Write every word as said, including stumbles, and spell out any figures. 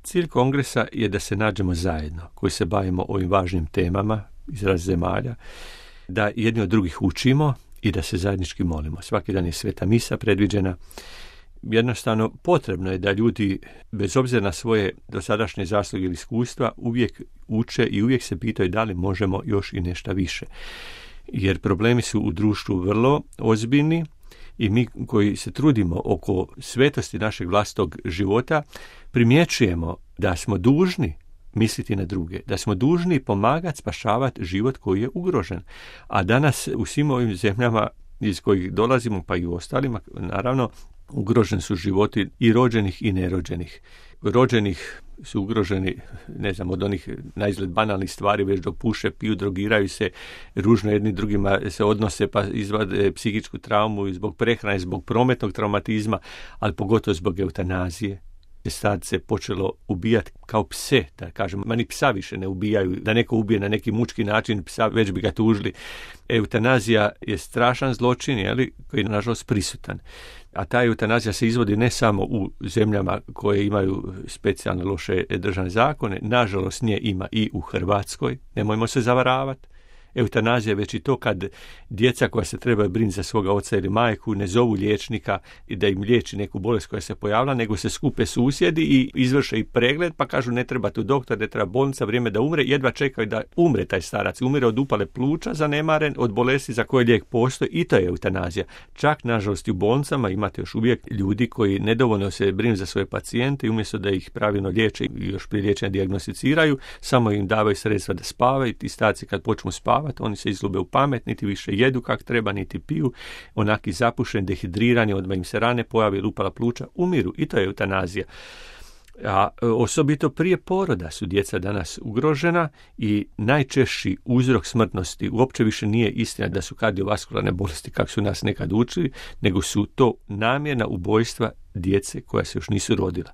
Cilj kongresa je da se nađemo zajedno, koji se bavimo ovim važnim temama iz raznih zemalja, da jedni od drugih učimo i da se zajednički molimo. Svaki dan je sveta misa predviđena. Jednostavno, potrebno je da ljudi, bez obzira na svoje dosadašnje zasluge ili iskustva, uvijek uče i uvijek se pitaju da li možemo još i nešto više. Jer problemi su u društvu vrlo ozbiljni i mi koji se trudimo oko svetosti našeg vlastitog života, primjećujemo da smo dužni misliti na druge, da smo dužni pomagati spašavati život koji je ugrožen. A danas u svim ovim zemljama iz kojih dolazimo, pa i u ostalima, naravno, ugroženi su životi i rođenih i nerođenih. Rođenih su ugroženi, ne znam, od onih naizgled banalnih stvari, već dok puše, piju, drogiraju se, ružno jedni drugima se odnose, pa izvade psihičku traumu i zbog prehrane, zbog prometnog traumatizma, ali pogotovo zbog eutanazije. Sad se počelo ubijati kao pse, da kažem, ma ni psa više ne ubijaju, da neko ubije na neki mučki način, psa već bi ga tužili. Eutanazija je strašan zločin, jeli, koji je nažalost prisutan. A ta eutanazija se izvodi ne samo u zemljama koje imaju specijalne loše državne zakone, nažalost nje ima i u Hrvatskoj, nemojmo se zavaravati. Eutanazija je već i to kad djeca koja se trebaju brinuti za svoga oca ili majku ne zovu liječnika i da im liječi neku bolest koja se pojavila, nego se skupe susjedi i izvrše i pregled, pa kažu ne treba tu doktor, ne treba bolnica, vrijeme da umre, jedva čekaju da umre taj starac. Umire od upale pluća zanemaren, od bolesti za koje lijek postoji, i to je eutanazija. Čak, nažalost, u bolnicama imate još uvijek ljudi koji nedovoljno se brinu za svoje pacijente i umjesto da ih pravilno liječe i još prije liječenja dijagnosticiraju, samo im davaju sredstva da spavaju. Ti starci kad počnu spavati, oni se izgube u pamet, niti više jedu kak treba, niti piju, onaki zapušeni, dehidrirani, odmah im se rane pojavi ili upala pluća, umiru, i to je eutanazija. A osobito prije poroda su djeca danas ugrožena i najčešći uzrok smrtnosti uopće više nije istina da su kardiovaskularne bolesti kako su nas nekad učili, nego su to namjerna ubojstva djece koja se još nisu rodila.